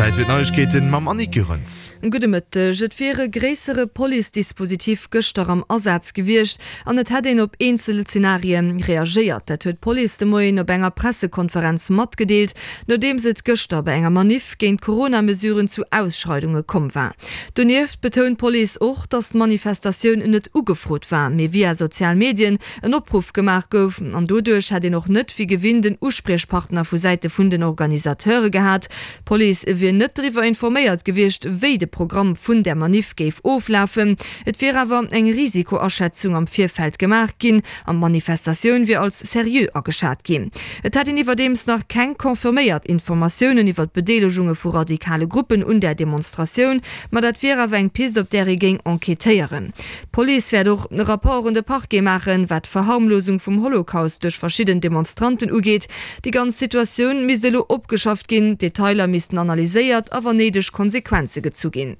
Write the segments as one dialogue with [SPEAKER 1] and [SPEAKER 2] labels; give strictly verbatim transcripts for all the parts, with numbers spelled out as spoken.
[SPEAKER 1] Zäit fir d'Neiegkeeten mam Annick Goerens.
[SPEAKER 2] Gudde Mëtteg. Et wier e gréissere Police-Dispositif gëschter am Asaz gewiescht an et hätt een op eenzel Zenarie reagéiert. Dat huet d'Police de Moien op enger Pressekonferenz matgedeelt, nodeems et gëschter bei enger Maniff géint d'Corona-Mesuren zu Ausschreidunge komm war. Donieft betount d'Police och, datt d'Manifestatioun net ugefrot war, mee via sozial Medien en Opruff gemaach gouf an doduerch hätt een och net wéi gewinnt en Uspriechpartner vu Säite vun den Organisateure gehat. D'Police wier net driwwer informéiert gewiescht, wéi de Programm vun där Maniff géif oflafen. Et wier awer eng Risikoaschätzung am Virfeld gemaach ginn an d'Manifestatioun wier als seriö ageschat ginn. Et hätt een iwwerdeems nach keng confirméiert Informatiounen iwwer d'Bedeelegunge vu radikale Gruppen un där Demonstratioun, ma dat wier awer eng Pist, op där ee géing enquêtéieren. D'Police wäert och e Rapport un de Parquet maachen, wat d'Verharmlosung vum Holocaust duerch verschidden Demonstranten ugeet. Déi ganz Situatioun misst elo opgeschafft ginn, d'Detailer missten analyséiert a wann néideg Konsequenze gezu ginn.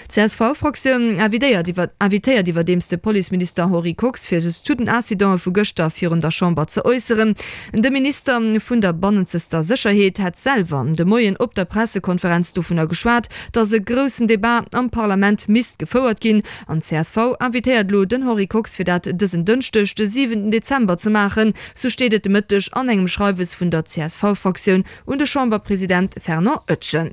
[SPEAKER 2] D'CSV-Fraktioun invitéiert iwwerdeems de Policeminister Henri Kox, fir sech zu den Incidente vu gëschter virun der Chamber ze äusseren. De Minister vun der bannenzester Sécherheet hätt selwer de Moien op der Pressekonferenz dovunner geschwat, datt e groussen Debat am Parlament misst gefouert ginn. An d'CSV invitéiert elo den Henri Kox, fir dat dësen Dënschdeg, de siwenten Dezember ze maachen, sou steet et de Mëtteg an engem Schreiwes vun der CSV-Fraktioun un de Chamberpresident Fernand Etgen.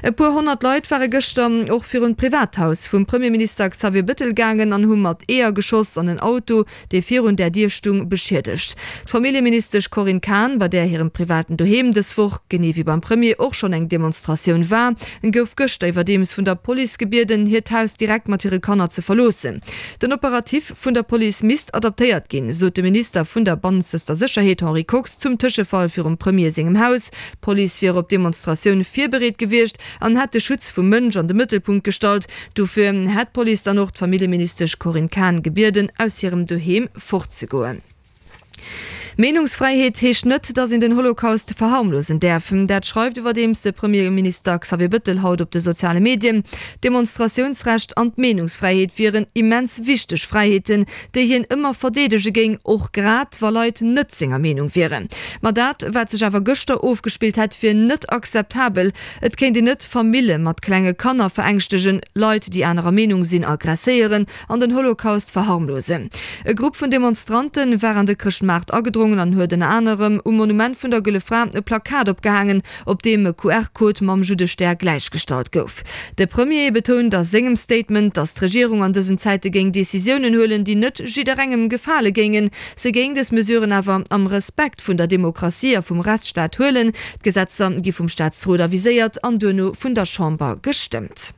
[SPEAKER 2] E puer honnert Leit ware gëschter och virun d'Privathaus vum Premierminister Xavier Bëttel gaangen an hu mat Eeër geschoss an en Auto, dee virun där Dier stung, beschiedegt. D'Familljeministesch Corinne Cahen, bei där hirem privaten Doheem dës Woch, genee wéi beim Premier, och schonn eng Demonstratioun war, gouf gëschter iwwerdeems vun der Police gebieden, hiert Haus direkt mat hire Kanner ze verloossen. Den Operatif vun der Police misst adaptéiert ginn, sot de Minister vun der bannenzester Sécherheet Henri Kox zum Tëschefall virum Premier sengem Haus. D'Police wier op d'Demonstratioun virbereet gewiescht an hätt de Schutz vum Mënsch an de Mëttelpunkt gestallt. Dofir hätt d'Police dann och d'Familljeministesch Corinne Cahen gebieden, aus hirem Doheem fortzegoen. Meenungsfräiheet heescht net, datt een den Holocaust verharmlosen däerf. Dat schreift iwwerdeems de Premierminister Xavier Bëttel haut op de soziale Medien. D'Demonstratiounsrecht an d'Meenungsfräiheet wieren immens wichteg Fräiheeten, déi hien ëmmer verdeedege géing, och grad wa Leit net senger Meenung wieren. Ma dat, wat sech awer gëschter ofgespillt hätt, wier net akzeptabel. Et kéint een net Famille mat klenge Kanner verängschtegen, Leit, déi anerer Meenung sinn, aggresséieren an den Holocaust verharmlosen. E Grupp vun Demonstrante war an de Chrëschtmaart agedrongen an huet ënner anerem um Monument vun der Gëlle Fra e Plakat opgehaangen, op deem e Q R-Code mam Juddestär gläichgestallt gouf. De Premier betount a sengem Statement, datt d'Regierung an dësen Zäite géing Decisiounen huelen, déi net jidderengem gefale géingen. Se géing dës Mesuren awer am Respekt vun der Demokratie a vum Rechtsstaat huelen. D'Gesetzer gi vum Staatsrot aviséiert an duerno vun der Chamber gestëmmt.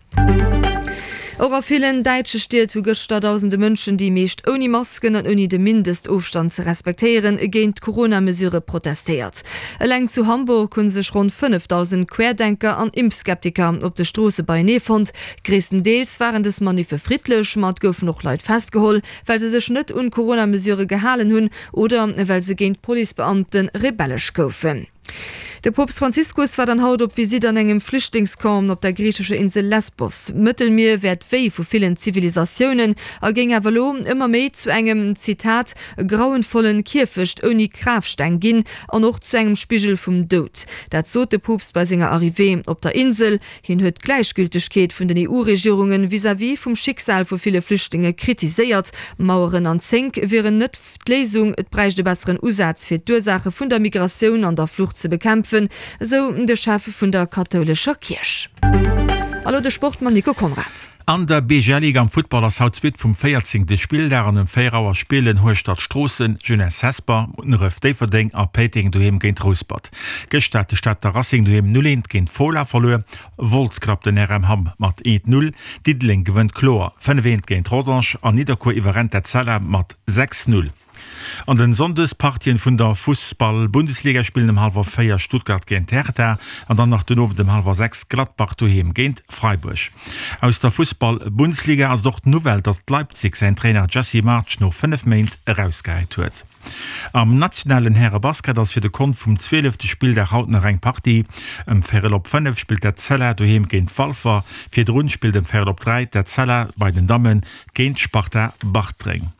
[SPEAKER 2] Och a villen däitsche Stied hu gëschter dausende Mënschen, déi meescht ouni Masken an ouni de Mindestofstand ze respektéieren, géint d'Corona-Mesurë protestéiert. Eleng zu Hamburg hu sech ronn fënnefdausend Querdenker an Impfskeptiker op de Stroosse beienee fonnt. Gréisstendeels waren dës Maniffe friddlech, ma et goufen och Leit festgeholl, well se sech net un d'Corona-Mesurë gehalen hunn oder well se géint Policebeamte rebellesch goufen. De Poopst Franziskus war dann haut op Visitt an engem Flüchtlingscamp op der griichescher Insel Lesbos. D'Mëttelmier wär d'Wéi vu villen Zivilisatiounen a géing awer elo ëmmer méi zu engem, Zitat, grauenvollen Kierfecht ouni Grafsteng ginn an och zu engem Spigel vum Doud. Dat sot de Poopst bei senger Arrivée op der Insel. Hien huet d'Gläichgültegkeet vun den E U-Regierunge vis-à-vis vum Schicksal vu ville Flüchtlinge kritiséiert. Maueren an Zénk wieren net d'Léisung, et bräicht e besseren Usaz fir d'Ursaache vun der Migratioun an der Flucht ze bekämpfen, esou de Chef vun der kathoulescher Kierch. A lo de Sport mam Nico Conrad.
[SPEAKER 3] An der B G L Ligue am Futtball ass haut d'Suite vum véierzéngte Spilldag an ëm véier Auer spillen Hueschtert Stroossen, Jeunesse Hesper, Munneref Déifferdeng a Péiteng doheem géint Rouspert. Gëschter hat de Stater Racing doheem null eent géint Fola verluer, Wolz klappt den R M Hamm mat eent null, Diddeleng gewënnt kloer fënnef eent géint Rodange an Nidderkuer iwwerrennt d'Etzella mat sechs null. An den Sonndespartien vun der Fussball-Bundesliga spillen ëm hallwer véier Stuttgart géint Hertha an dann nach den Owend ëm hallwer sechs Gladbach doheem géint Freiburg. Aus der Fussball-Bundesliga ass et och d'Nouvelle, datt Leipzig säin Trainer Jesse Marsch no fënnef Méint erausgehäit huet. Am nationalen Häre-Basket ass fir de Kont vum zwielefte Spilldag haut nach eng Partie. Ëm véierel op fënnef spillt d'Etzella doheem géint Walfer. Virdrun spillt ëm véierel op dräi d'Etzella bei den Dammen géint d'Sparta Bartreng.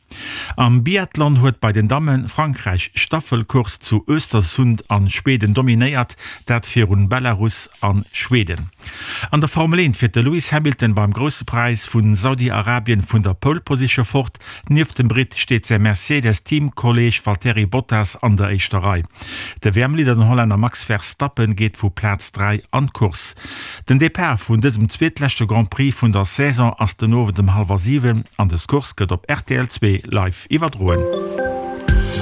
[SPEAKER 3] Am Biathlon huet bei den Dammen Frankräich d'Staffelcourse zu Östersund a Schweden dominéiert, dat virun Belarus a Schweden. An der Formel eent fiert de Lewis Hamilton beim Grousse Präis vu Saudi-Arabien vun der Pole Position fort. Nieft dem Britt steet säi Mercedes-Teamkolleeg Valtteri Bottas an der éischter Rei. De W M-Leader, den Hollänner Max Verstappen, geet vu Plaz dräi an d'Course. Den Depart vun dësem zweetleschte Grand Prix vun der Saison ass den Owend ëm hallwer siwen an dës Course gëtt op rtl zwee live iwwerdroen.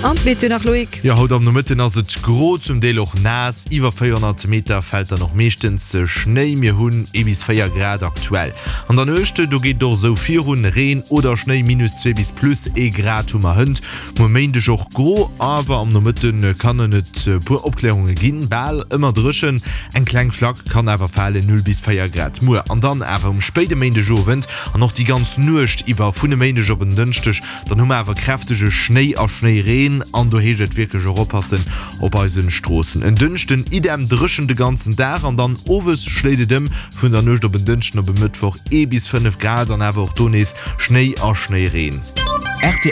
[SPEAKER 2] An d'Meteo nach, Loïc.
[SPEAKER 1] Jo, haut am Nomëtten ass et gro, zum Deel och naass. Iwwer véierhonnert Meter fält dann och meeschtens Schnéi. Mir hunn ee bis véier Grad aktuell. An der Nuecht, do geet et och esou virun, Reen oder Schnéi, minus zwee bis plus ee Grad hu mer hënt. Muer Méindeg och gro, awer am Nomëtte kannen et e puer Opklärunge ginn. Bal ëmmer dréchen, eng kleng Flack kann awer falen, null bis véier Grad muer. An dann awer um spéide Méindegowend an och déi ganz Nuecht iwwer vun e Méindeg op en Dënschdeg, dann hu mer awer kräftege Schnéi a Schnéireen an do heescht et wierklech och oppassen op eisen Stroossen. En Dënschden idem, dréchen de ganzen Dag an dann owes schléit et ëm. Vun der Nuecht op en Dënschden op e Mëttwoch ee bis fënnef Grad an awer och do nees Schnéi a Schnéireen.
[SPEAKER 4] Rtl.